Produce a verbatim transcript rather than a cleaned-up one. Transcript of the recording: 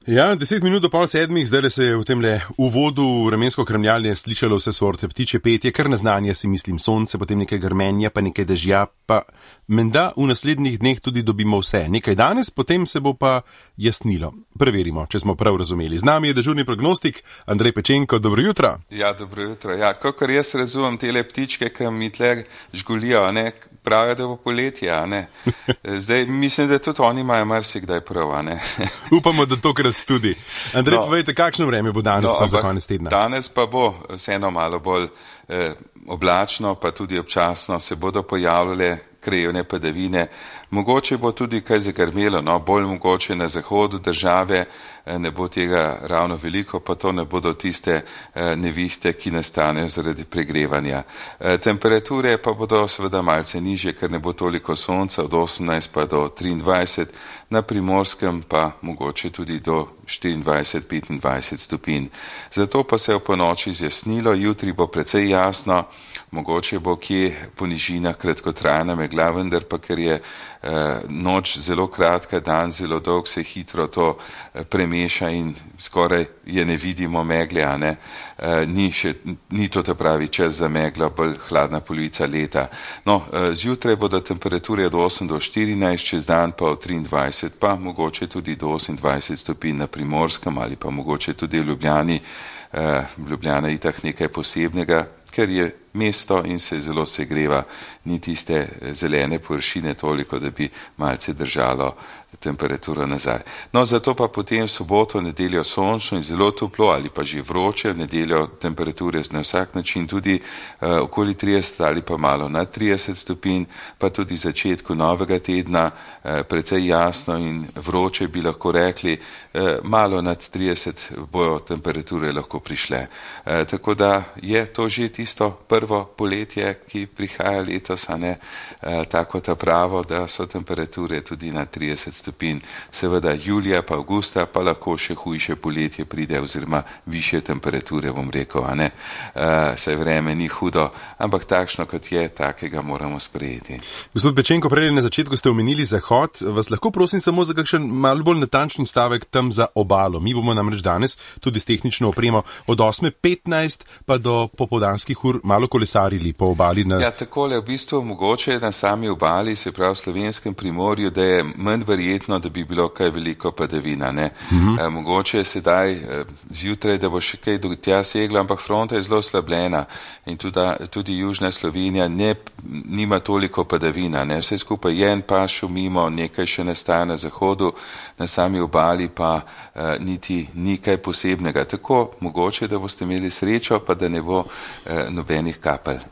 Ja, deset minut do pol sedmih, zdaj se je v tem le uvodu vremensko kremljanje slišalo vse sorte ptiče petje, kar neznanje si mislim sonce, potem nekaj grmenja, pa nekaj dežja, pa menda v naslednjih dneh tudi dobimo vse. Nekaj danes, potem se bo pa jasnilo. Preverimo, če smo prav razumeli. Z nami je dežurni prognostik Andrej Pečenko, dobro jutro. Ja, dobro jutro. Ja, kakor jaz razumem tele ptičke, ki mi tle žgulijo, ne, pravijo, da bo poletje, a ne. Zdaj, mislim, da tudi oni imajo marsikdaj prav, a ne. Upamo, da tokrat tudi. Andrej, no, povejte, kakšno vreme bo danes no, pa za konec tedna? Danes pa bo vseeno malo bolj eh, oblačno, pa tudi občasno se bodo pojavljale krajevne padavine. Mogoče bo tudi kaj zagrmelo, no, bolj mogoče na zahodu države, ne bo tega ravno veliko, pa to ne bodo tiste nevihte, ki nastanejo zaradi pregrevanja. Temperature pa bodo seveda malce nižje, ker ne bo toliko sonca, od osemnajst pa do triindvajset, na Primorskem pa mogoče tudi do štiriindvajset petindvajset stopinj. Zato pa se je v ponoči zjasnilo, jutri bo precej jasno, mogoče bo kje po nižinah kratkotrajna megla, vendar pa ker je eh, noč zelo kratka, dan zelo dolg, se hitro to eh, premeša in skoraj je ne vidimo megle, a ne, eh, ni, še, ni to ta pravi čas za meglo, bolj hladna polovica leta. No, eh, zjutraj bodo temperature od osem do štirinajst, čez dan pa od triindvajset, pa mogoče tudi do osemindvajset stopinj na Primorskem ali pa mogoče tudi v Ljubljani. Uh, Ljubljana je itak nekaj posebnega, ker je mesto in se zelo segreva, ni tiste zelene površine toliko, da bi malce držalo temperaturo nazaj. No, zato pa potem v soboto, nedeljo sončno in zelo toplo ali pa že vroče, v nedeljo temperature na vsak način tudi uh, okoli trideset ali pa malo nad trideset stopinj, pa tudi začetku novega tedna uh, precej jasno in vroče bi lahko rekli, uh, malo nad trideset bojo temperature lahko prišle. Uh, tako da je to že tisto prvo poletje, ki prihaja letos, a ne, e, tako ta pravo, da so temperature tudi na trideset stopinj. Seveda julija pa avgusta pa lahko še hujše poletje pride oziroma višje temperature, bom rekel, a ne. E, saj vreme ni hudo, ampak takšno kot je, takega moramo sprejeti. Gospod Pečenko, prej na začetku ste omenili zahod, vas lahko prosim samo za kakšen malo bolj natančen stavek tam za obalo. Mi bomo namreč danes tudi s tehnično opremo od osme petnajst pa do popoldanskih ur malo kolesarili po obali. Na... Ja, takole v bistvu mogoče na sami obali, se pravi v Slovenskem primorju, da je manj verjetno, da bi bilo kaj veliko padavina, ne. Mm-hmm. E, mogoče sedaj e, zjutraj, da bo še kaj do tja seglo, ampak fronta je zelo slabljena in tudi, tudi južna Slovenija ne, nima toliko padavina, ne. Vse skupaj je en pas šumimo, nekaj še nastaja na zahodu, na sami obali pa e, niti ni kaj posebnega. Tako mogoče, da boste imeli srečo, pa da ne bo e, nobenih kapelj.